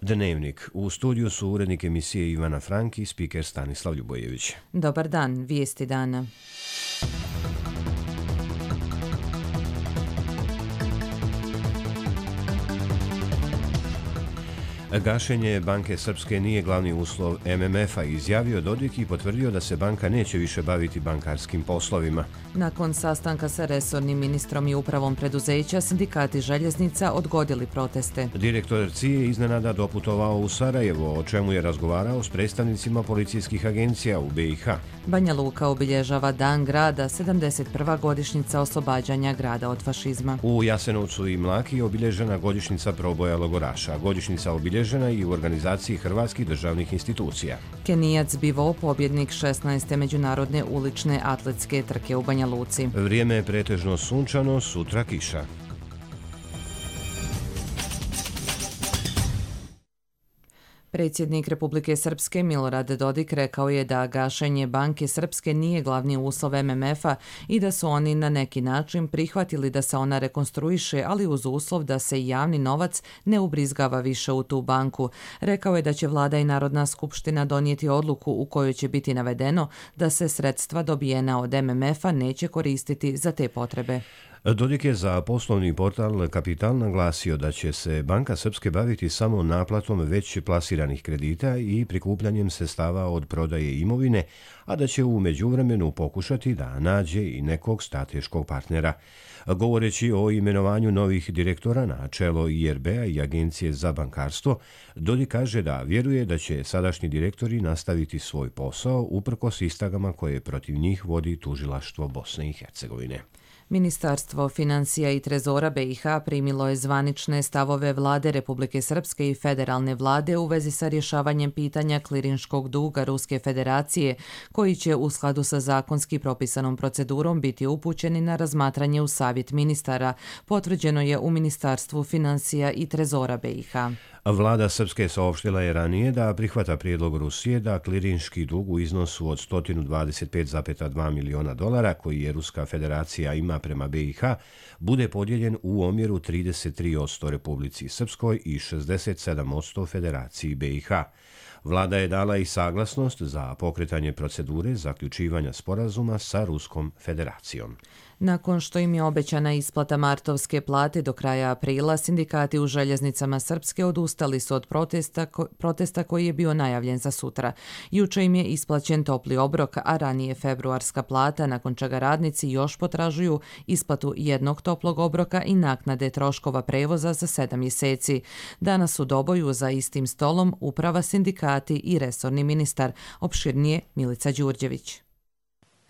Dnevnik. U studiju su urednik emisije Ivana Frank i spiker Stanislav Ljubojević. Dobar dan, vijesti dana. Gašenje Banke Srpske nije glavni uslov MMF-a, izjavio Dodik i potvrdio da se banka neće više baviti bankarskim poslovima. Nakon sastanka sa resornim ministrom i upravom preduzeća, sindikati željeznica odgodili proteste. Direktor CIA iznenada doputovao u Sarajevo, o čemu je razgovarao s predstavnicima policijskih agencija u BiH. Banja Luka obilježava Dan grada, 71. godišnjica oslobađanja grada od fašizma. U Jasenovcu i Mlaki obilježena godišnjica proboja logoraša. Godišnjica obilježena i u organizaciji hrvatskih državnih institucija. Kenijac Bivo, pobjednik 16. međunarodne ulične atletske trke u Banja Luci. Vrijeme je pretežno sunčano, sutra kiša. Predsjednik Republike Srpske Milorad Dodik rekao je da gašenje Banke Srpske nije glavni uslov MMF-a i da su oni na neki način prihvatili da se ona rekonstruiše, ali uz uslov da se javni novac ne ubrizgava više u tu banku. Rekao je da će Vlada i Narodna skupština donijeti odluku u kojoj će biti navedeno da se sredstva dobijena od MMF-a neće koristiti za te potrebe. Dodik je za poslovni portal Kapital naglasio da će se Banka Srpske baviti samo naplatom već plasiranih kredita i prikupljanjem sredstava od prodaje imovine, a da će u međuvremenu pokušati da nađe i nekog strateškog partnera. Govoreći o imenovanju novih direktora na čelo IRB-a i Agencije za bankarstvo, Dodik kaže da vjeruje da će sadašnji direktori nastaviti svoj posao uprkos istragama koje protiv njih vodi tužilaštvo Bosne i Hercegovine. Ministarstvo financija i trezora BiH primilo je zvanične stavove Vlade Republike Srpske i federalne vlade u vezi sa rješavanjem pitanja klirinškog duga Ruske federacije, koji će u skladu sa zakonski propisanom procedurom biti upućeni na razmatranje u Savjet ministara, potvrđeno je u Ministarstvu financija i trezora BiH. Vlada Srpske saopštila je ranije da prihvata prijedlog Rusije da klirinški dug u iznosu od $125,2 miliona koji je Ruska federacija ima prema BiH bude podijeljen u omjeru 33% Republici Srpskoj i 67% Federaciji BiH. Vlada je dala i saglasnost za pokretanje procedure zaključivanja sporazuma sa Ruskom federacijom. Nakon što im je obećana isplata martovske plate do kraja aprila, sindikati u željeznicama Srpske odustali su od protesta koji je bio najavljen za sutra. Juče im je isplaćen topli obrok, a ranije februarska plata, nakon čega radnici još potražuju isplatu jednog toplog obroka i naknade troškova prevoza za 7 mjeseci. Danas u Doboju za istim stolom uprava, sindikati i resorni ministar. Opširnije Milica Đurđević.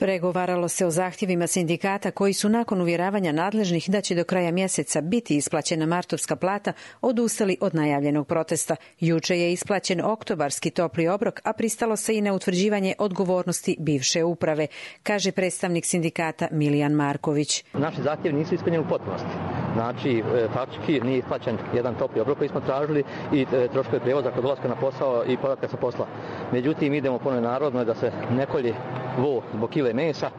Pregovaralo se o zahtjevima sindikata koji su nakon uvjeravanja nadležnih da će do kraja mjeseca biti isplaćena martovska plata odustali od najavljenog protesta. Juče je isplaćen oktobarski topli obrok, a pristalo se i na utvrđivanje odgovornosti bivše uprave, kaže predstavnik sindikata Milijan Marković. Naši zahtjevi nisu ispunjeni u potpunosti. Znači, faktički nije isplaćen jedan topli obrok koji smo tražili i troškovi prijevoza kod dolaska na posao i povratka sa posla. Međutim, idemo po narodnoj da se ne kolje vo zbog kile mesa,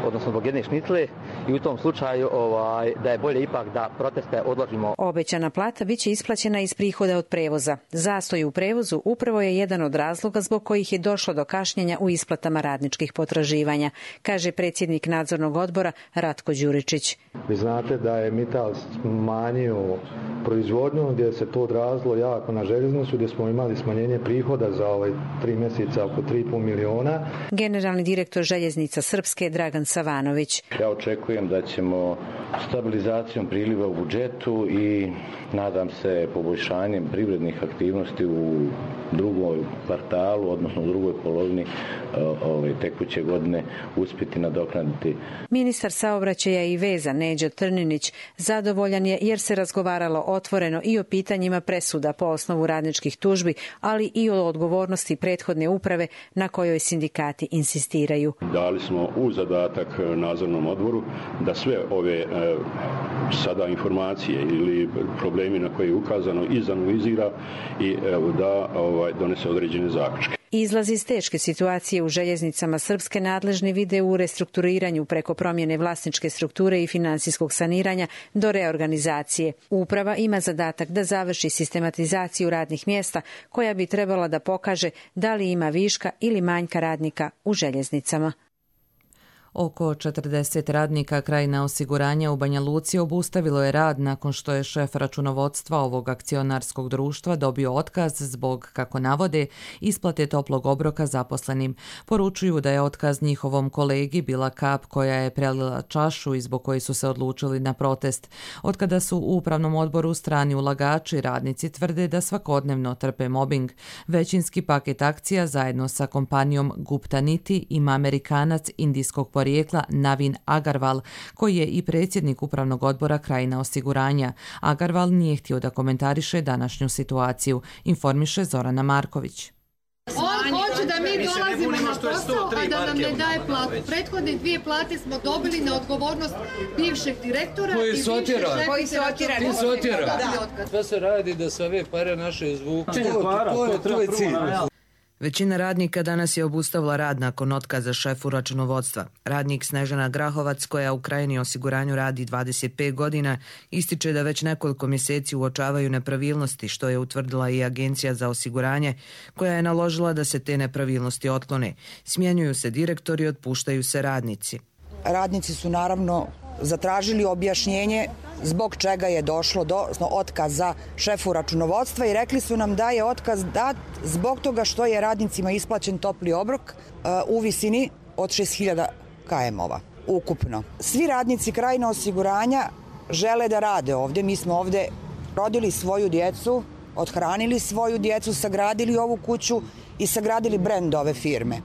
odnosno zbog jedne šnicle, i u tom slučaju da je bolje ipak da proteste odložimo. Obećana plata biće isplaćena iz prihoda od prevoza. Zastoj u prevozu upravo je jedan od razloga zbog kojih je došlo do kašnjenja u isplatama radničkih potraživanja, kaže predsjednik nadzornog odbora Ratko Đuričić. Vi znate da je Mittal smanjio proizvodnju, gdje se to odrazilo jako na željeznicu, gdje smo imali smanjenje prihoda za 3 mjeseca oko 3,5 miliona. Generalni direktor željeznica Srpske Dragan Savanović. Ja očekujem da ćemo stabilizacijom priliva u budžetu i nadam se poboljšanjem privrednih aktivnosti u drugom kvartalu, odnosno u drugoj polovini tekuće godine uspjeti nadoknaditi. Ministar saobraćaja i veza Neđo Trninić zadovoljan je jer se razgovaralo otvoreno i o pitanjima presuda po osnovu radničkih tužbi, ali i o odgovornosti prethodne uprave na kojoj sindikati insistiraju. Dali smo u zadatak nadzornom odboru da sve ove sada informacije ili problemi na koje je ukazano izanalizira i da donese određene zaključke. Izlaz iz teške situacije u željeznicama Srpske nadležni vide u restrukturiranju preko promjene vlasničke strukture i finansijskog saniranja do reorganizacije. Uprava ima zadatak da završi sistematizaciju radnih mjesta koja bi trebala da pokaže da li ima viška ili manjka radnika u željeznicama. Oko 40 radnika Krajina osiguranja u Banja Luci obustavilo je rad nakon što je šef računovodstva ovog akcionarskog društva dobio otkaz zbog, kako navode, isplate toplog obroka zaposlenim. Poručuju da je otkaz njihovom kolegi bila kap koja je prelila čašu i zbog koje su se odlučili na protest. Otkada su u upravnom odboru strani ulagači, radnici tvrde da svakodnevno trpe mobing. Većinski paket akcija zajedno sa kompanijom Gupta Niti ima Amerikanac indijskog porijekla Navin Agarwal, koji je i predsjednik upravnog odbora Krajina osiguranja. Agarwal nije htio da komentariše današnju situaciju, informiše Zorana Marković. On hoće da mi dolazimo na posao, a da nam ne daje platu. Prethodne 2 plate smo dobili na odgovornost bivšeg direktora i bivšeg šefice. Koji su otjerani? Sve se radi da se ove pare naše izvuku. To je cilj. Većina radnika danas je obustavila rad nakon otkaza šefu računovodstva. Radnik Snežana Grahovac, koja u Krajini osiguranju radi 25 godina, ističe da već nekoliko mjeseci uočavaju nepravilnosti, što je utvrdila i Agencija za osiguranje, koja je naložila da se te nepravilnosti otklone. Smjenjuju se direktori, otpuštaju se radnici. Radnici su naravno zatražili objašnjenje zbog čega je došlo do otkaza šefu računovodstva i rekli su nam da je otkaz dat zbog toga što je radnicima isplaćen topli obrok u visini od 6.000 KM-ova ukupno. Svi radnici Krajina osiguranja žele da rade ovdje. Mi smo ovdje rodili svoju djecu, othranili svoju djecu, sagradili ovu kuću i sagradili brend ove firme.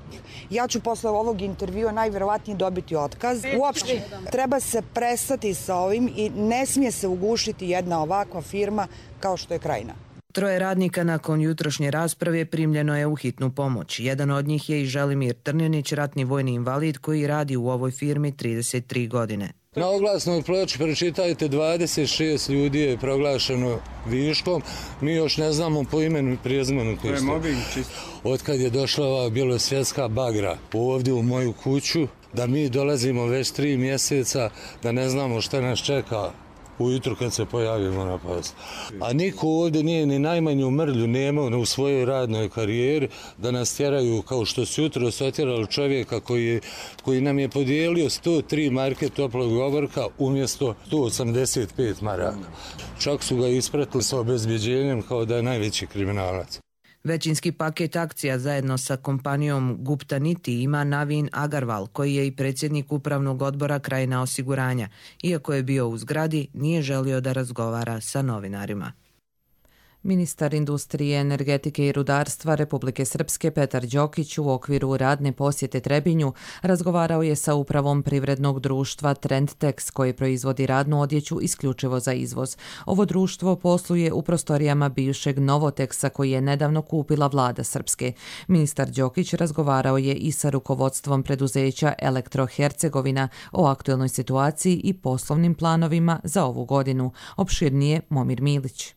Ja ću posle ovog intervjua najvjerovatnije dobiti otkaz. Uopšte treba se prestati sa ovim i ne smije se ugušiti jedna ovakva firma kao što je Krajina. 3 radnika nakon jutrošnje rasprave primljeno je u hitnu pomoć. Jedan od njih je i Želimir Trnjanić, ratni vojni invalid koji radi u ovoj firmi 33 godine. Na oglasnoj ploči pročitajte 26 ljudi je proglašeno viškom. Mi još ne znamo po imenu i prezimenu. To je mobbing čisto. Otkad je došla ova bjelosvjetska bagra ovdje u moju kuću, da mi dolazimo već 3 mjeseca, da ne znamo šta nas čeka ujutru kad se pojavimo na poslu. A niko ovdje nije ni najmanju mrlju nemao u svojoj radnoj karijeri da nas tjeraju kao što su jutro otjerali čovjeka koji nam je podijelio 103 marke toplog obroka umjesto 185 maraka. Čak su ga ispratili sa obezbjeđenjem kao da je najveći kriminalac. Većinski paket akcija zajedno sa kompanijom Gupta Niti ima Navin Agarwal, koji je i predsjednik upravnog odbora Krajina osiguranja. Iako je bio u zgradi, nije želio da razgovara sa novinarima. Ministar industrije, energetike i rudarstva Republike Srpske Petar Đokić u okviru radne posjete Trebinju razgovarao je sa upravom privrednog društva Trendtex koji proizvodi radnu odjeću isključivo za izvoz. Ovo društvo posluje u prostorijama bivšeg Novoteksa koji je nedavno kupila vlada Srpske. Ministar Đokić razgovarao je i sa rukovodstvom preduzeća Elektro Hercegovina o aktuelnoj situaciji i poslovnim planovima za ovu godinu. Opširnije Momir Milić.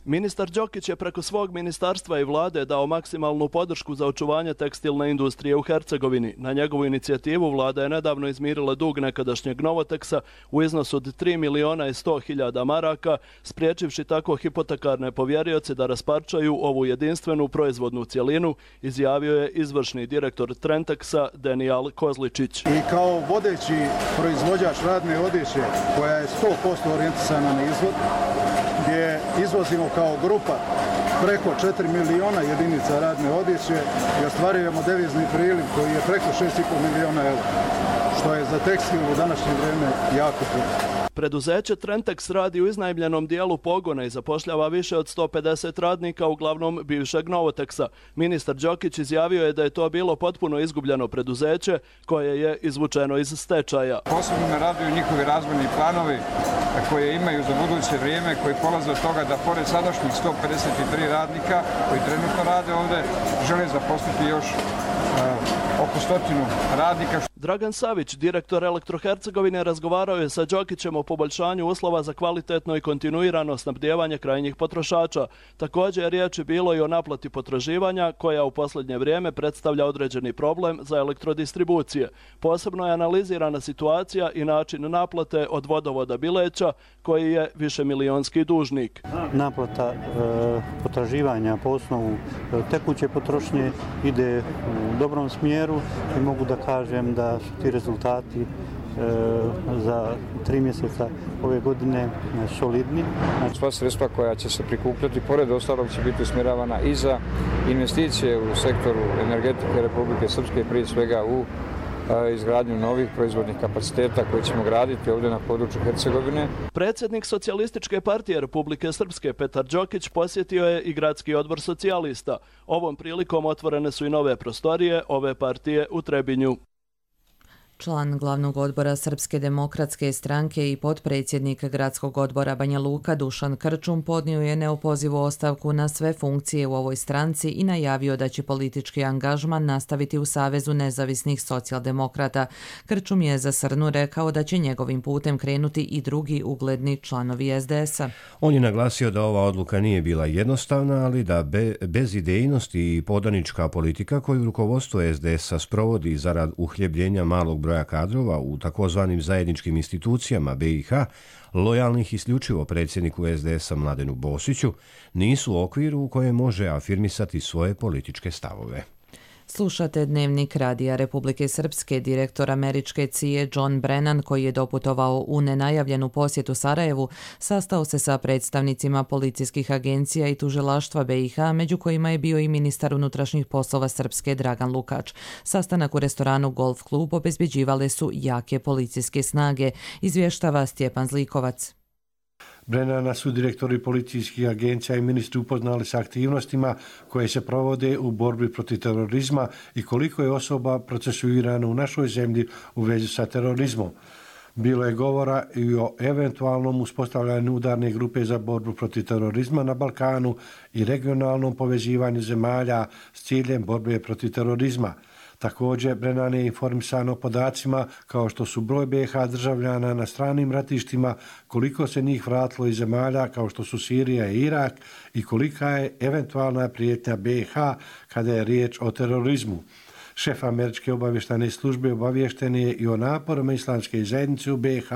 Ministar Đokić je preko svog ministarstva i vlade dao maksimalnu podršku za očuvanje tekstilne industrije u Hercegovini. Na njegovu inicijativu vlada je nedavno izmirila dug nekadašnjeg Novoteksa u iznosu od 3.100.000 maraka, spriječivši tako hipotekarne povjerioce da rasparčaju ovu jedinstvenu proizvodnu cjelinu, izjavio je izvršni direktor Trendtexa Denijal Kozličić. I kao vodeći proizvođač radne odjeće koja je 100% orijentisana na izvoz, gdje izvozimo kao grupa preko 4 miliona jedinica radne odjeće i ostvarujemo devizni priliv koji je preko 6,5 miliona eura, što je za tekstil u današnje vrijeme jako puno. Preduzeće Trendtex radi u iznajmljenom dijelu pogona i zapošljava više od 150 radnika, uglavnom bivšeg Novoteksa. Ministar Đokić izjavio je da je to bilo potpuno izgubljeno preduzeće koje je izvučeno iz stečaja. Posebno me raduju njihovi razvojni planovi koje imaju za buduće vrijeme, koji polaze od toga da pored sadašnjih 153 radnika koji trenutno rade ovdje, žele zaposliti još oko 100 radnika. Dragan Savić, direktor Elektrohercegovine, razgovarao je sa Đokićem o poboljšanju uslova za kvalitetno i kontinuirano snabdijevanje krajnjih potrošača. Također je riječ bilo i o naplati potraživanja, koja u posljednje vrijeme predstavlja određeni problem za elektrodistribucije. Posebno je analizirana situacija i način naplate od vodovoda Bileća, koji je višemilijonski dužnik. Naplata potraživanja po osnovu tekuće potrošnje ide u dobrom smjeru i mogu da kažem da su ti rezultati za 3 mjeseca ove godine solidni. Sva sredstva koja će se prikupljati, pored ostalog, će biti usmjeravana i za investicije u sektoru energetike Republike Srpske, prije svega u izgradnju novih proizvodnih kapaciteta koje ćemo graditi ovdje na području Hercegovine. Predsjednik Socijalističke partije Republike Srpske Petar Đokić posjetio je i gradski odbor socijalista. Ovom prilikom otvorene su i nove prostorije ove partije u Trebinju. Član glavnog odbora Srpske demokratske stranke i potpredsjednik gradskog odbora Banja Luka Dušan Krčum podnio je neopozivu ostavku na sve funkcije u ovoj stranci i najavio da će politički angažman nastaviti u Savezu nezavisnih socijaldemokrata. Krčum je za Srnu rekao da će njegovim putem krenuti i drugi ugledni članovi SDS-a. On je naglasio da ova odluka nije bila jednostavna, ali da bez idejnosti i podanička politika koju rukovodstvo SDS-a sprovodi zarad uhljebljenja malog broja kadrova u takozvanim zajedničkim institucijama BiH, lojalnih isključivo predsjedniku SDS-a Mladenu Bosiću, nisu u okviru u kojem može afirmisati svoje političke stavove. Slušate Dnevnik Radija Republike Srpske. Direktor američke CIA John Brennan, koji je doputovao u nenajavljenu posjetu Sarajevu, sastao se sa predstavnicima policijskih agencija i tužilaštva BiH, među kojima je bio i ministar unutrašnjih poslova Srpske Dragan Lukač. Sastanak u restoranu Golf Klub obezbeđivale su jake policijske snage, izvještava Stjepan Zlikovac. Brennana su direktori policijskih agencija i ministri upoznali sa aktivnostima koje se provode u borbi protiv terorizma i koliko je osoba procesuirano u našoj zemlji u vezi sa terorizmom. Bilo je govora i o eventualnom uspostavljanju udarne grupe za borbu protiv terorizma na Balkanu i regionalnom povezivanju zemalja s ciljem borbe protiv terorizma. Također, Brennan je informisan o podacima kao što su broj BiH državljana na stranim ratištima, koliko se njih vratilo iz zemalja kao što su Sirija i Irak i kolika je eventualna prijetnja BiH kada je riječ o terorizmu. Šef američke obavještajne službe obavješten je i o naporima islamske zajednice u BiH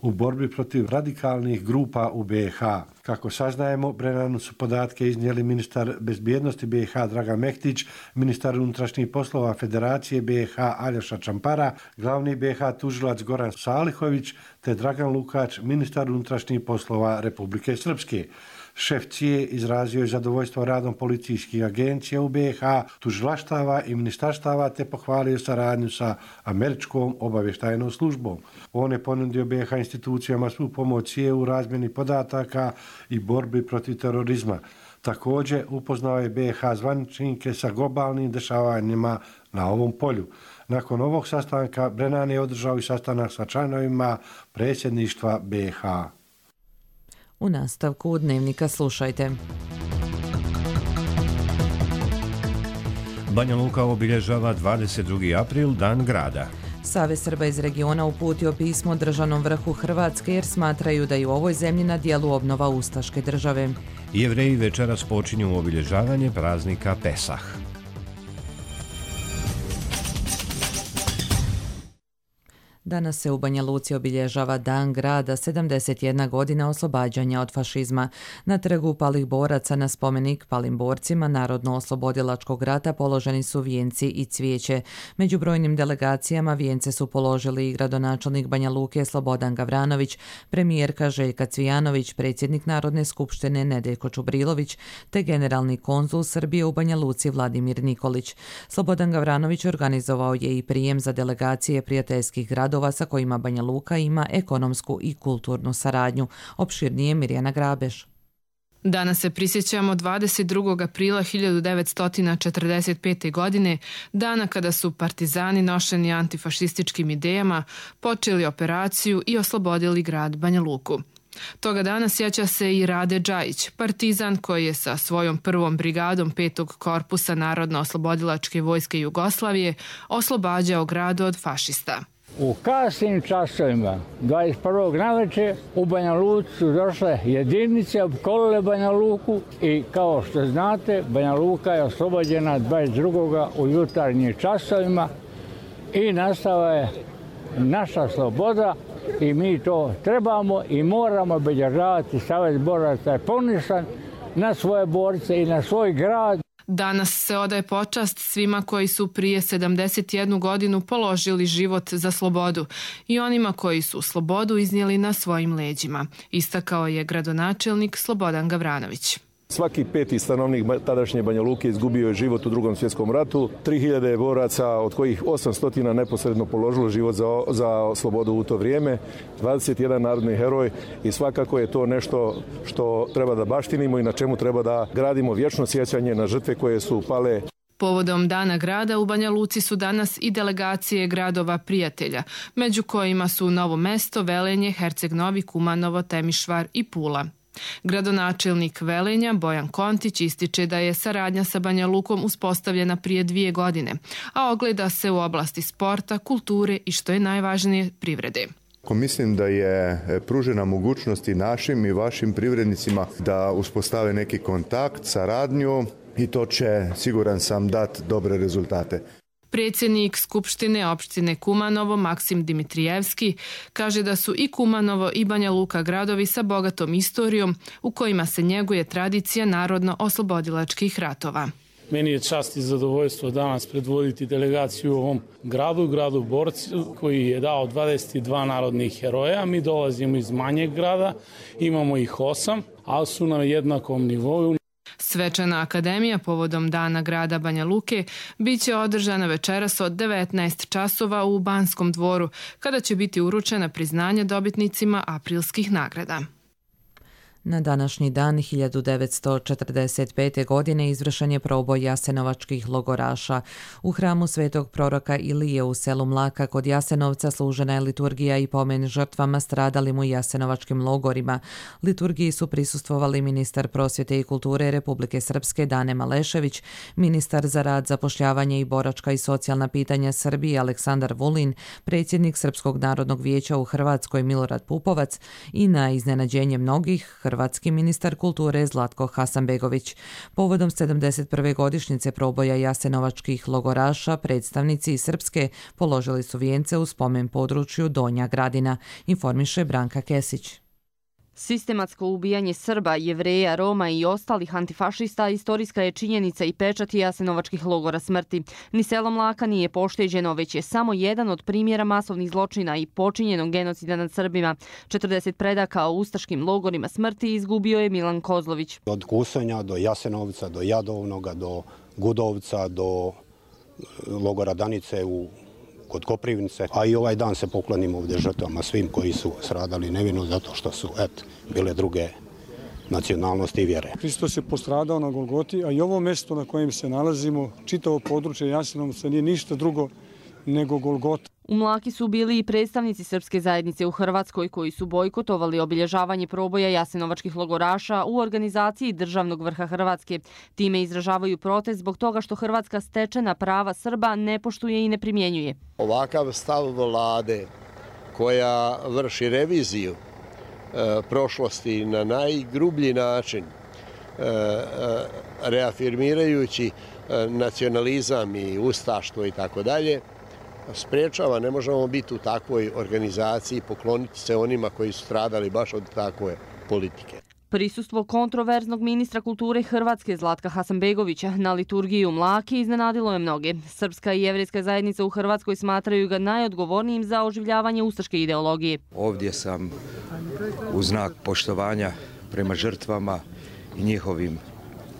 u borbi protiv radikalnih grupa u BiH. Kako saznajemo, Brennanu su podatke iznijeli ministar bezbjednosti BiH Dragan Mehtić, ministar unutrašnjih poslova Federacije BiH Aljoša Čampara, glavni BiH tužilac Goran Salihović te Dragan Lukač, ministar unutrašnjih poslova Republike Srpske. Šef CIA izrazio je zadovoljstvo radom policijskih agencija u BiH, tužilaštava i ministarstava te pohvalio saradnju sa američkom obavještajnom službom. On je ponudio BiH institucijama svu pomoć CIA u razmjeni podataka i borbi protiv terorizma. Također upoznao je BiH zvaničnike sa globalnim dešavanjima na ovom polju. Nakon ovog sastanka Brennan je održao i sastanak sa članovima predsjedništva BiH. U nastavku Dnevnika slušajte. Banja Luka obilježava 22. april, Dan grada. Savez Srba iz regiona uputio pismo državnom vrhu Hrvatske jer smatraju da je u ovoj zemlji na dijelu obnova ustaške države. Jevreji večeras počinju obilježavanje praznika Pesah. Danas se u Banja Luci obilježava Dan grada, 71 godina oslobađanja od fašizma. Na trgu palih boraca na spomenik palim borcima Narodno-oslobodilačkog rata položeni su vijenci i cvijeće. Među brojnim delegacijama vijence su položili i gradonačelnik Banja Luke Slobodan Gavranović, premijerka Željka Cvijanović, predsjednik Narodne skupštine Nedeljko Čubrilović te generalni konzul Srbije u Banja Luci Vladimir Nikolić. Slobodan Gavranović organizovao je i prijem za delegacije prijateljskih gradova sa kojima Banja Luka ima ekonomsku i kulturnu saradnju. Opširnije Mirjana Grabeš. Danas se prisjećamo 22. aprila 1945. godine, dana kada su partizani nošeni antifašističkim idejama počeli operaciju i oslobodili grad Banja Luku. Toga dana sjeća se i Rade Džajić, partizan koji je sa svojom prvom brigadom 5. korpusa Narodno-oslobodilačke vojske Jugoslavije oslobađao grad od fašista. U kasnim časovima 21. navečer u Banja Luci su došle jedinice, opkolile Banja Luku i kao što znate Banja Luka je oslobođena 22. u jutarnjim časovima i nastala je naša sloboda i mi to trebamo i moramo obilježavati. Savez boraca je ponosan na svoje borce i na svoj grad. Danas se odaje počast svima koji su prije 71 godinu položili život za slobodu i onima koji su slobodu iznijeli na svojim leđima, istakao je gradonačelnik Slobodan Gavranović. Svaki 5. stanovnik tadašnje Banja Luke izgubio je život u Drugom svjetskom ratu. 3000 boraca, od kojih 800 neposredno položilo život za slobodu u to vrijeme. 21 narodni heroj i svakako je to nešto što treba da baštinimo i na čemu treba da gradimo vječno sjećanje na žrtve koje su pale. Povodom Dana grada u Banja Luci su danas i delegacije gradova prijatelja, među kojima su Novo Mesto, Velenje, Herceg Novi, Kumanovo, Temišvar i Pula. Gradonačelnik Velenja Bojan Kontić ističe da je saradnja sa Banja Lukom uspostavljena prije 2 godine, a ogleda se u oblasti sporta, kulture i što je najvažnije privrede. Mislim da je pružena mogućnost i našim i vašim privrednicima da uspostave neki kontakt, saradnju i to će, siguran sam, dati dobre rezultate. Predsjednik Skupštine opštine Kumanovo Maksim Dimitrijevski kaže da su i Kumanovo i Banja Luka gradovi sa bogatom istorijom u kojima se njeguje tradicija narodno-oslobodilačkih ratova. Meni je čast i zadovoljstvo danas predvoditi delegaciju u ovom gradu Borcu koji je dao 22 narodnih heroja. Mi dolazimo iz manjeg grada, imamo ih 8, ali su na jednakom nivou. Svečana akademija povodom Dana grada Banja Luke bit će održana večeras od 19 časova u Banskom dvoru, kada će biti uručena priznanja dobitnicima aprilskih nagrada. Na današnji dan 1945. godine izvršen je proboj jasenovačkih logoraša. U hramu svetog proroka Ilije u selu Mlaka kod Jasenovca služena je liturgija i pomen žrtvama stradalim u jasenovačkim logorima. Liturgiji su prisustvovali ministar prosvjete i kulture Republike Srpske Dane Malešević, ministar za rad, zapošljavanje i boračka i socijalna pitanja Srbije Aleksandar Vulin, predsjednik Srpskog narodnog vijeća u Hrvatskoj Milorad Pupovac i na iznenađenje mnogih hrvatski ministar kulture Zlatko Hasanbegović. Povodom 71. godišnjice proboja jasenovačkih logoraša, predstavnici iz Srpske položili su vijence u spomen području Donja Gradina, informiše Branka Kesić. Sistematsko ubijanje Srba, Jevreja, Roma i ostalih antifašista istorijska je činjenica i pečat jasenovačkih logora smrti. Ni selo Mlaka nije pošteđeno, već je samo jedan od primjera masovnih zločina i počinjenog genocida nad Srbima. 40 predaka o ustaškim logorima smrti izgubio je Milan Kozlović. Od Kusonja do Jasenovca, do Jadovnoga, do Gudovca, do logora Danice kod Koprivnice, a i ovaj dan se poklonimo ovdje žrtvama svim koji su stradali nevino zato što su bile druge nacionalnosti i vjere. Hristos je postradao na Golgoti, a i ovo mjesto na kojem se nalazimo, čitavo područje Jasenovca, nije ništa drugo nego Golgota. U Mlaki su bili i predstavnici srpske zajednice u Hrvatskoj koji su bojkotovali obilježavanje proboja jasenovačkih logoraša u organizaciji državnog vrha Hrvatske. Time izražavaju protest zbog toga što Hrvatska stečena prava Srba ne poštuje i ne primjenjuje. Ovakav stav vlade koja vrši reviziju prošlosti na najgrublji način, reafirmirajući nacionalizam i ustaštvo i tako dalje, spriječava, ne možemo biti u takvoj organizaciji i pokloniti se onima koji su stradali baš od takve politike. Prisustvo kontroverznog ministra kulture Hrvatske Zlatka Hasanbegovića na liturgiji u Mlaki iznenadilo je mnoge. Srpska i jevrejska zajednica u Hrvatskoj smatraju ga najodgovornijim za oživljavanje ustaške ideologije. Ovdje sam u znak poštovanja prema žrtvama i njihovim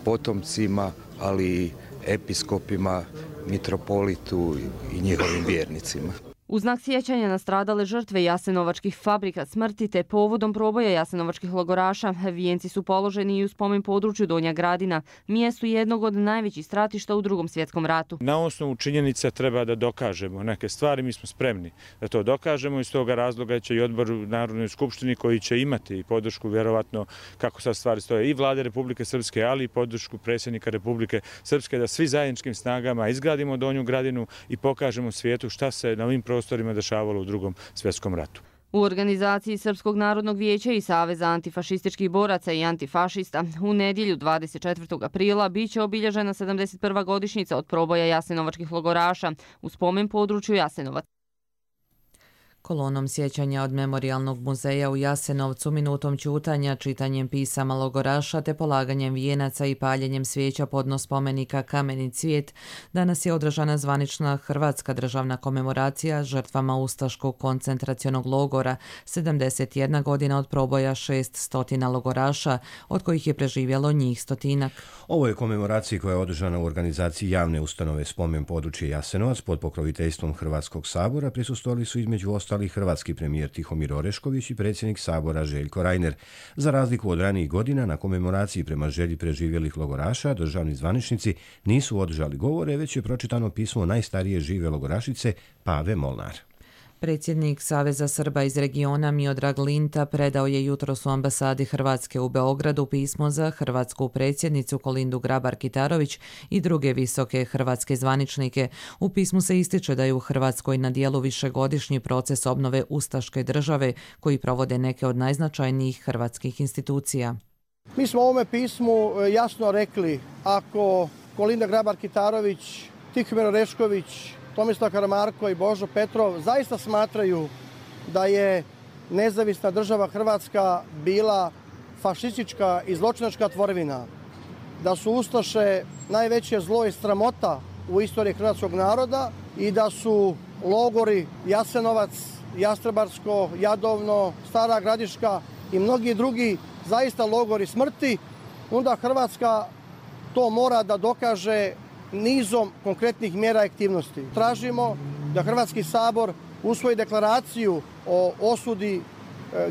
potomcima, ali i episkopima, mitropolitu i njihovim vjernicima. U znak sjećanja na stradale žrtve jasenovačkih fabrika smrti te povodom proboja jasenovačkih logoraša, vijenci su položeni i u spomen području Donja Gradina, mjestu jednog od najvećih stratišta u Drugom svjetskom ratu. Na osnovu činjenica treba da dokažemo neke stvari, mi smo spremni da to dokažemo i iz toga razloga će i odbor u Narodnoj skupštini koji će imati i podršku vjerovatno kako sad stvari stoje i vlade Republike Srpske, ali i podršku predsjednika Republike Srpske da svi zajedničkim snagama izgradimo Donju Gradinu i pokažemo svijetu šta se na ovim prostorima dešavalo u Drugom svjetskom ratu. U organizaciji Srpskog narodnog vijeća i Saveza antifašističkih boraca i antifašista u nedjelju 24. aprila biće obilježena 71. godišnjica od proboja jasenovačkih logoraša u spomen području Jasenovac. Kolonom sjećanja od Memorijalnog muzeja u Jasenovcu, minutom ćutanja, čitanjem pisama logoraša te polaganjem vijenaca i paljenjem svijeća podno spomenika Kameni cvijet, danas je održana zvanična hrvatska državna komemoracija žrtvama Ustaškog koncentracionog logora, 71 godina od proboja 600 logoraša, od kojih je preživjelo njih 100. Ovo je komemoracija koja je održana u organizaciji javne ustanove Spomen područje Jasenovac pod pokroviteljstvom Hrvatskog sabora. Prisustvovali su između ostalih hrvatski premijer Tihomir Orešković i predsjednik sabora Željko Reiner. Za razliku od ranijih godina, na komemoraciji prema želji preživjelih logoraša državni zvaničnici nisu održali govore, već je pročitano pismo najstarije žive logorašice Pave Molnar. Predsjednik Saveza Srba iz regiona Miodrag Linta predao je jutros u ambasadi Hrvatske u Beogradu pismo za hrvatsku predsjednicu Kolindu Grabar-Kitarović i druge visoke hrvatske zvaničnike. U pismu se ističe da je u Hrvatskoj na dijelu višegodišnji proces obnove ustaške države koji provode neke od najznačajnijih hrvatskih institucija. Mi smo u ovome pismu jasno rekli, ako Kolinda Grabar-Kitarović, Tihomir Orešković, Tomislav Karamarko i Božo Petrov zaista smatraju da je nezavisna država Hrvatska bila fašistička i zločinačka tvorevina, da su ustaše najveće zlo i sramota u istoriji hrvatskog naroda i da su logori Jasenovac, Jastrebarsko, Jadovno, Stara Gradiška i mnogi drugi zaista logori smrti, onda Hrvatska to mora da dokaže nizom konkretnih mjera i aktivnosti. Tražimo da Hrvatski sabor usvoji deklaraciju o osudi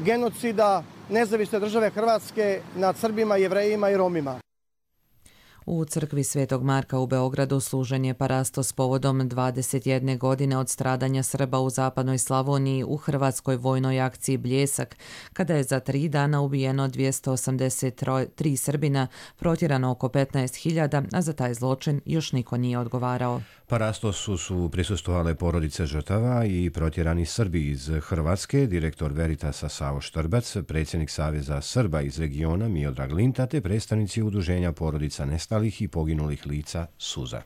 genocida nezavisne države Hrvatske nad Srbima, Jevrejima i Romima. U crkvi Svetog Marka u Beogradu služen je parastos povodom 21 godine od stradanja Srba u zapadnoj Slavoniji u hrvatskoj vojnoj akciji Bljesak, kada je za 3 dana ubijeno 283 Srbina, protjerano oko 15.000, a za taj zločin još niko nije odgovarao. Parastosu su prisustvovale porodice žrtava i protjerani Srbi iz Hrvatske, direktor Veritasa Savo Štrbac, predsjednik Saveza Srba iz regiona Miodrag Linta te predstavnici udruženja porodica nestalih i poginulih lica Suza.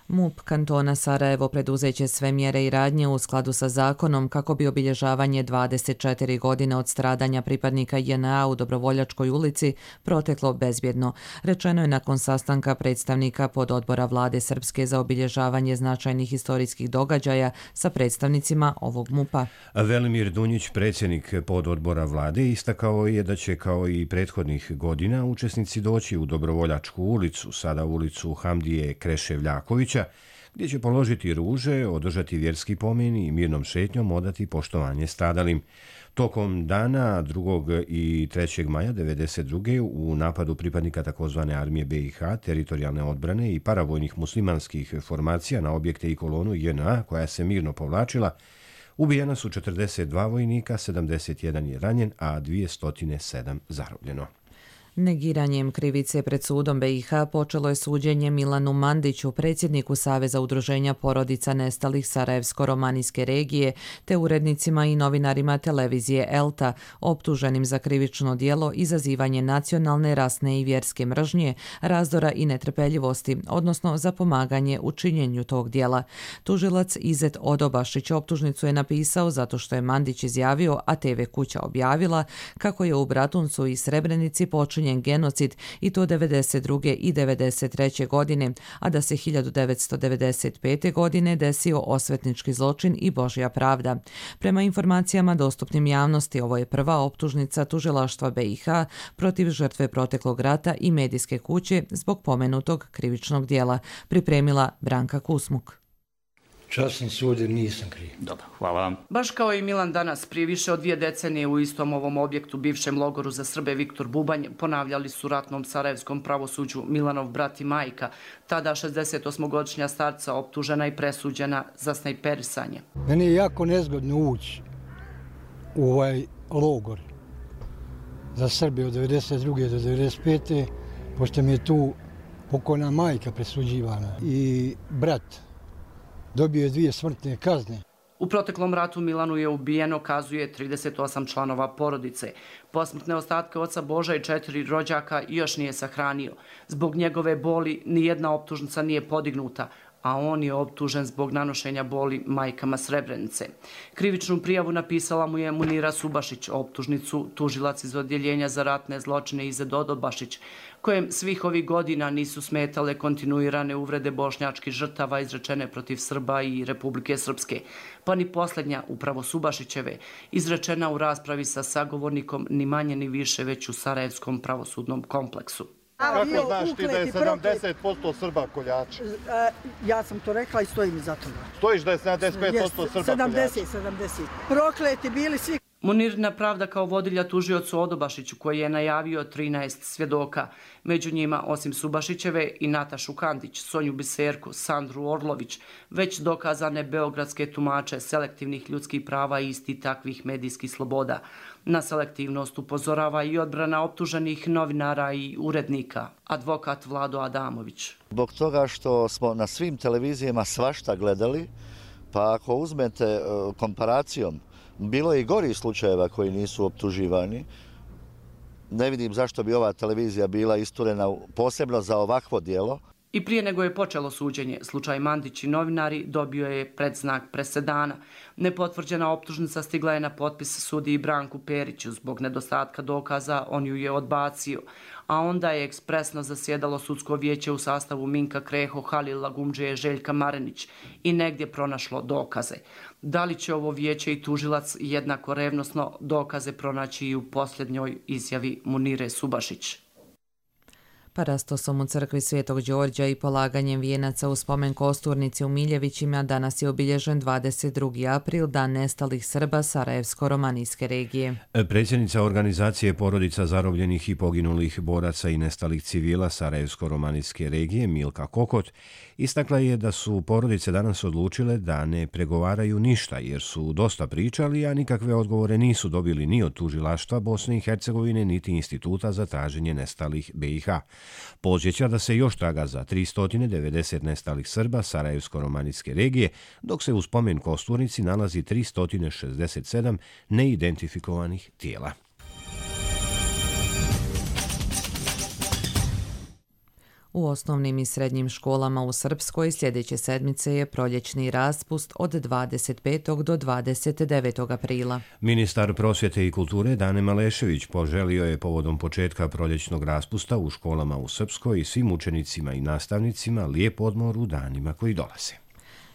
MUP kantona Sarajevo preduzeće sve mjere i radnje u skladu sa zakonom kako bi obilježavanje 24 godine od stradanja pripadnika JNA u Dobrovoljačkoj ulici proteklo bezbjedno. Rečeno je nakon sastanka predstavnika pododbora vlade Srpske za obilježavanje značajnih historijskih događaja sa predstavnicima ovog MUP-a. Velimir Dunjić, predsjednik pododbora vlade, istakao je da će kao i prethodnih godina učesnici doći u Dobrovoljačku ulicu, sada ulicu Hamdije Kreševljakovića, gdje će položiti ruže, održati vjerski pomen i mirnom šetnjom odati poštovanje stradalim. Tokom dana 2. i 3. maja 1992. u napadu pripadnika takozvane armije BiH, teritorijalne odbrane i paravojnih muslimanskih formacija na objekte i kolonu JNA koja se mirno povlačila, ubijena su 42 vojnika, 71 je ranjen, a 207 zarobljeno. Negiranjem krivice pred sudom BiH počelo je suđenje Milanu Mandiću, predsjedniku Saveza udruženja porodica nestalih Sarajevsko-romanijske regije, te urednicima i novinarima televizije ELTA, optuženim za krivično djelo izazivanje nacionalne, rasne i vjerske mržnje, razdora i netrpeljivosti, odnosno za pomaganje u činjenju tog djela. Tužilac Izet Odobašić optužnicu je napisao zato što je Mandić izjavio, a TV kuća objavila, kako je u Bratuncu i Srebrenici počinjen genocid i to 1992. i 1993. godine, a da se 1995. godine desio osvetnički zločin i Božja pravda. Prema informacijama dostupnim javnosti, ovo je prva optužnica tužilaštva BiH protiv žrtve proteklog rata i medijske kuće zbog pomenutog krivičnog djela, pripremila Branka Kusmuk. časni sud jer nisam kriv. Dobro, hvala vam. Baš kao i Milan danas, prije više od 2 decenije u istom ovom objektu, bivšem logoru za Srbe Viktor Bubanj, ponavljali su ratnom sarajevskom pravosuđu Milanov brat i majka, tada 68-godišnja starca optužena i presuđena za snajperisanje. Meni je jako nezgodno ući u ovaj logor za Srbe od 92. do 95. pošto mi je tu pokojna majka presuđivana i brat dobio je 2 smrtne kazne. U proteklom ratu Milanu je ubijeno, kazuje, 38 članova porodice. Posmrtne ostatke oca Boža i 4 rođaka još nije sahranio. Zbog njegove boli nijedna optužnica nije podignuta, a on je optužen zbog nanošenja boli majkama Srebrenice. Krivičnu prijavu napisala mu je Munira Subašić, optužnicu tužilac iz odjeljenja za ratne zločine Ize Dodobašić, kojem svih ovih godina nisu smetale kontinuirane uvrede bošnjačkih žrtava izrečene protiv Srba i Republike Srpske, pa ni posljednja, upravo Subašićeve, izrečena u raspravi sa sagovornikom ni manje ni više već u Sarajevskom pravosudnom kompleksu. Kako znaš ti da je 70% Srba koljača? Ja sam to rekla i stojim iza toga. Stojiš da je 75% Srba koljača? 70. Prokleti bili svi. Munirina pravda kao vodilja tužiocu Odobašiću, koji je najavio 13 svjedoka. Među njima, osim Subašićeve, i Natašu Kandić, Sonju Biserku, Sandru Orlović, već dokazane beogradske tumače selektivnih ljudskih prava i isti takvih medijskih sloboda. Na selektivnost upozorava i odbrana optuženih novinara i urednika, advokat Vlado Adamović. Zbog toga što smo na svim televizijama svašta gledali, pa ako uzmete komparacijom, bilo je i gorih slučajeva koji nisu optuživani. Ne vidim zašto bi ova televizija bila isturena posebno za ovakvo djelo. I prije nego je počelo suđenje, slučaj Mandić i novinari dobio je predznak presedana. Nepotvrđena optužnica stigla je na potpis sudiji Branku Periću. Zbog nedostatka dokaza on ju je odbacio, a onda je ekspresno zasjedalo sudsko vijeće u sastavu Minka Kreho, Halila Gumdžije, Željka Marenić i negdje pronašlo dokaze. Da li će ovo vijeće i tužilac jednako revnosno dokaze pronaći i u posljednjoj izjavi Munire Subašić? Parastosom u crkvi Svetog Đorđa i polaganjem vijenaca u spomen kosturnici u Miljevićima danas je obilježen 22. april, dan nestalih Srba Sarajevsko-romanijske regije. Predsjednica organizacije porodica zarobljenih i poginulih boraca i nestalih civila Sarajevsko-romanijske regije Milka Kokot istakla je da su porodice danas odlučile da ne pregovaraju ništa jer su dosta pričali, a nikakve odgovore nisu dobili ni od tužilaštva Bosne i Hercegovine niti Instituta za traženje nestalih BiH. Podsjeća da se još traga za 390 nestalih Srba Sarajevsko-romanijske regije, dok se u spomen kosturnici nalazi 367 neidentifikovanih tijela. U osnovnim i srednjim školama u Srpskoj sljedeće sedmice je proljećni raspust od 25. do 29. aprila. Ministar prosvjete i kulture Dane Malešević poželio je povodom početka proljećnog raspusta u školama u Srpskoj i svim učenicima i nastavnicima lijep odmor u danima koji dolaze.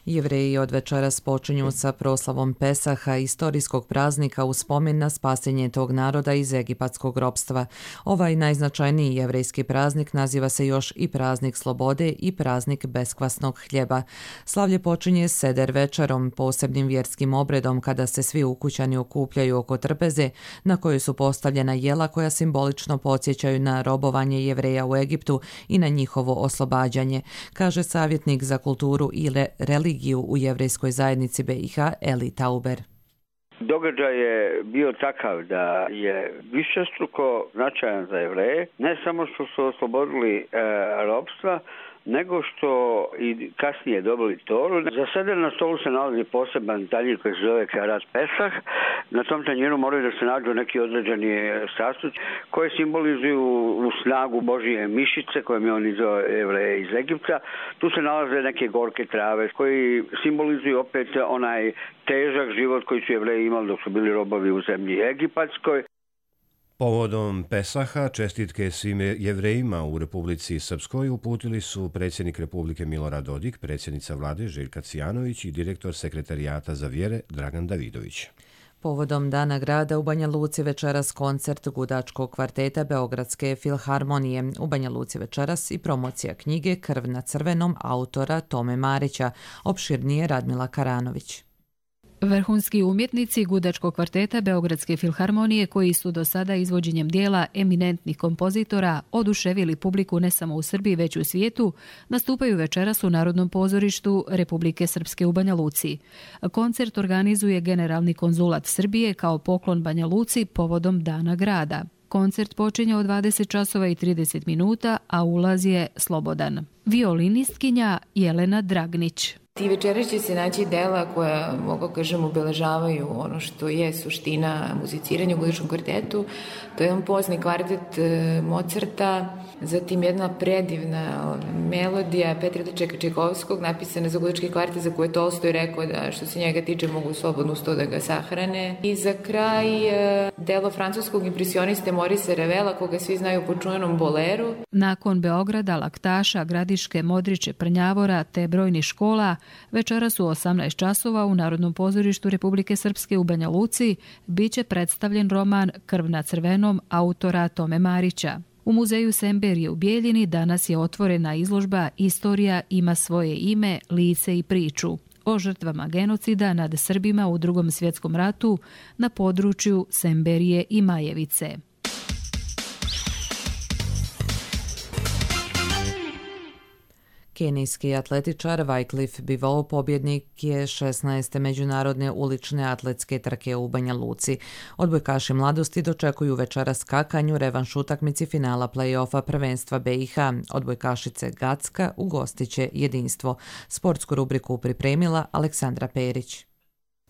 Jevreji od večeras počinju sa proslavom Pesaha, istorijskog praznika u spomen na spasenje tog naroda iz egipatskog ropstva. Ovaj najznačajniji jevrejski praznik naziva se još i praznik slobode i praznik beskvasnog hljeba. Slavlje počinje seder večerom, posebnim vjerskim obredom kada se svi ukućani okupljaju oko trpeze na kojoj su postavljena jela koja simbolično podsjećaju na robovanje Jevreja u Egiptu i na njihovo oslobađanje, kaže savjetnik za kulturu i religiju u jevrejskoj zajednici BiH Eli Tauber. Događaj je bio takav da je višestruko značajan za Jevreje, ne samo što su oslobodili ropstva, nego što i kasnije dobili Toru. Za seder na stolu se nalazi poseban tanjir koji se zove Keharat Pesah. Na tom tanjiru moraju da se nađu neki određeni sastojci koji simbolizuju u snagu Božije mišice kojom je on izveo Jevreje iz Egipta. Tu se nalaze neke gorke trave koji simbolizuju opet onaj težak život koji su Jevreji imali dok su bili robovi u zemlji egipatskoj. Povodom Pesaha čestitke svim Jevrejima u Republici Srpskoj uputili su predsjednik Republike Milorad Dodik, predsjednica vlade Željka Cijanović i direktor sekretarijata za vjere Dragan Davidović. Povodom Dana grada u Banja Luci večeras koncert gudačkog kvarteta Beogradske filharmonije. U Banja Luci večeras i promocija knjige Krv na crvenom autora Tome Marića. Opširnije Radmila Karanović. Vrhunski umjetnici gudačkog kvarteta Beogradske filharmonije, koji su do sada izvođenjem dijela eminentnih kompozitora oduševili publiku ne samo u Srbiji već u svijetu, nastupaju večeras u Narodnom pozorištu Republike Srpske u Banja Luci. Koncert organizuje Generalni konzulat Srbije kao poklon Banja Luci povodom Dana grada. Koncert počinje od 20 časova i 30 minuta, a ulaz je slobodan. Violinistkinja Jelena Dragnić. Ti večeras će se naći dela koja, mogu kažem, obeležavaju ono što je suština muziciranja u gudačkom kvartetu. To je jedan pozni kvartet Mozarta, zatim jedna predivna melodija Petra Čajkovskog, napisana za gudački kvartet, za koje Tolstoj rekao da što se njega tiče mogu slobodno uz to da ga sahrane. I za kraj delo francuskog impresioniste Morisa Revela, koga svi znaju po čuvenom boleru. Nakon Beograda, Laktaša, Gradiške, Modriče, Prnjavora te brojnih škola, večeras u 18 časova u Narodnom pozorištu Republike Srpske u Banja Luci biće predstavljen roman Krv na crvenom autora Tome Marića. U muzeju Semberije u Bijeljini danas je otvorena izložba Istorija ima svoje ime, lice i priču o žrtvama genocida nad Srbima u Drugom svjetskom ratu na području Semberije i Majevice. Kenijski atletičar Wycliffe Bivol pobjednik je 16. međunarodne ulične atletske trke u Banja Luci. Odbojkaši mladosti dočekuju večeras skakanju revanš utakmici finala play-offa prvenstva BiH. Odbojkašice Gacka ugostiće Jedinstvo. Sportsku rubriku pripremila Aleksandra Perić.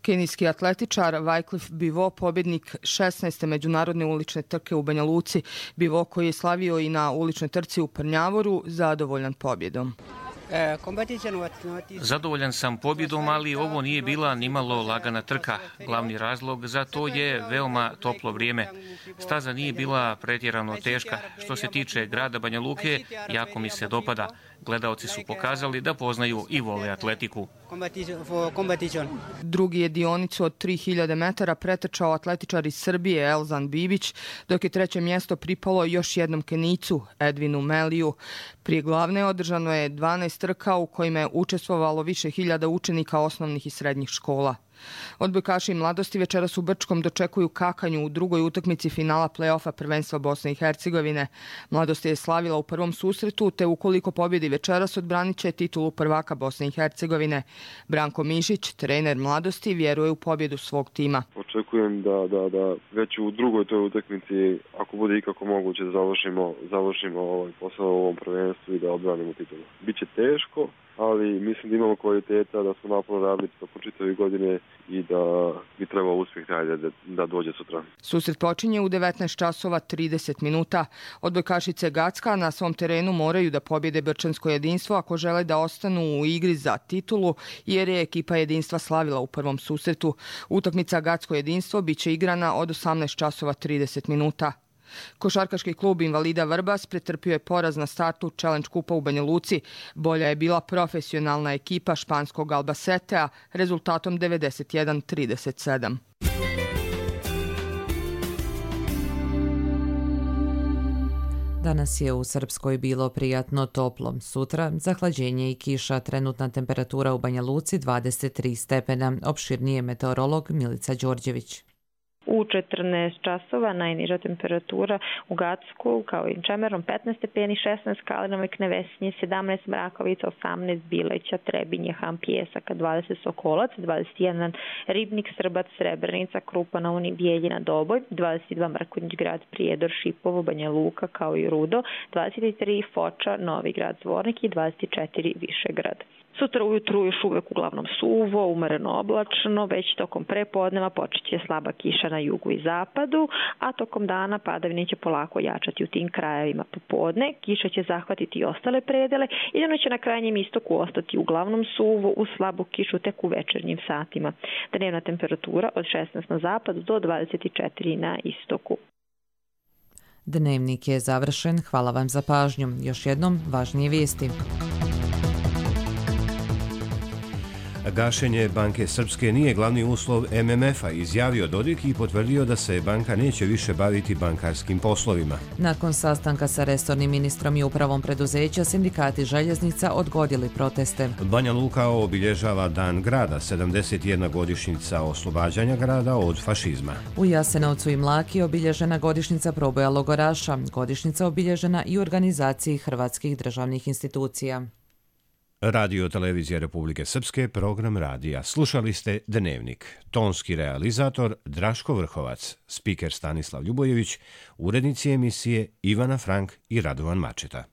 Kenijski atletičar Wycliffe Bivol, pobjednik 16. međunarodne ulične trke u Banja Luci. Bivol, koji je slavio i na uličnoj trci u Prnjavoru, zadovoljan pobjedom. Zadovoljan sam pobjedom, ali ovo nije bila nimalo lagana trka. Glavni razlog za to je veoma toplo vrijeme. Staza nije bila pretjerano teška. Što se tiče grada Banja Luke, jako mi se dopada. Gledaoci su pokazali da poznaju i vole atletiku. Drugi je dionicu od 3000 metara pretrčao atletičar iz Srbije Elzan Bibić, dok je treće mjesto pripalo još jednom Kenijcu, Edvinu Meliju. Prije glavne održano je 12 trka u kojima je učestvovalo više hiljada učenika osnovnih i srednjih škola. Odbojkaši mladosti večeras u Brčkom dočekuju kakanju u drugoj utakmici finala play-offa prvenstva Bosne i Hercegovine. Mladost je slavila u prvom susretu, te ukoliko pobjedi večeras odbranit će titulu prvaka Bosne i Hercegovine. Branko Mišić, trener mladosti, vjeruje u pobjedu svog tima. Očekujem da već u drugoj toj utakmici, ako bude ikako moguće, završimo ovaj posao u ovom prvenstvu i da odbranimo titulu. Biće teško, ali mislim da imamo kvaliteta, da smo naporno radili tokom čitave godine i da bi trebao uspjeh da dođe sutra. Susret počinje u 19 časova 30 minuta. Odbojkašice Gacka na svom terenu moraju da pobjede Brčansko Jedinstvo ako žele da ostanu u igri za titulu, jer je ekipa Jedinstva slavila u prvom susretu. Utakmica Gacko Jedinstvo biće igrana od 18 časova 30 minuta. Košarkaški klub Invalida Vrbas pretrpio je poraz na startu Challenge kupa u Banja Luci. Bolja je bila profesionalna ekipa španskog Albacetea rezultatom 91-37. Danas je u Srpskoj bilo prijatno toplo. Sutra zahlađenje i kiša, trenutna temperatura u Banja Luci 23 stepena. Opširnije meteorolog Milica Đorđević. U 14 časova najniža temperatura u Gacku kao i Čemerom 15 stepeni, 16 Kalinovoj Knevesnje, 17 Mrakovica, 18 Bileća, Trebinje, Han Pjesaka, 20 Sokolac, 21 Ribnik, Srbac, Srebrenica, Krupa na Uni, Bijeljina, Doboj, 22 Mrkonjić Grad, Prijedor, Šipovo, Banja Luka kao i Rudo, 23 Foča, Novi Grad, Zvornik i 24 Višegrad. Sutra ujutru još uvek uglavnom suvo, umereno oblačno, već tokom prepodneva počeće slaba kiša na jugu i zapadu, a tokom dana padavine će polako jačati u tim krajevima popodne. Kiša će zahvatiti i ostale predele i dano će na krajnjem istoku ostati uglavnom suvo, uz slabu kišu tek u večernjim satima. Dnevna temperatura od 16 na zapadu do 24 na istoku. Dnevnik je završen. Hvala vam za pažnju. Još jednom važnije vijesti. Gašenje Banke Srpske nije glavni uslov MMF-a, izjavio Dodik i potvrdio da se banka neće više baviti bankarskim poslovima. Nakon sastanka sa resornim ministrom i upravom preduzeća, sindikati željeznica odgodili proteste. Banja Luka obilježava Dan grada, 71 godišnjica oslobađanja grada od fašizma. U Jasenovcu i Mlaki obilježena godišnjica proboja logoraša, godišnjica obilježena i u organizaciji hrvatskih državnih institucija. Radio Televizija Republike Srpske, program radija. Slušali ste Dnevnik. Tonski realizator Draško Vrhovac, spiker Stanislav Ljubojević, urednici emisije Ivana Frank i Radovan Mačeta.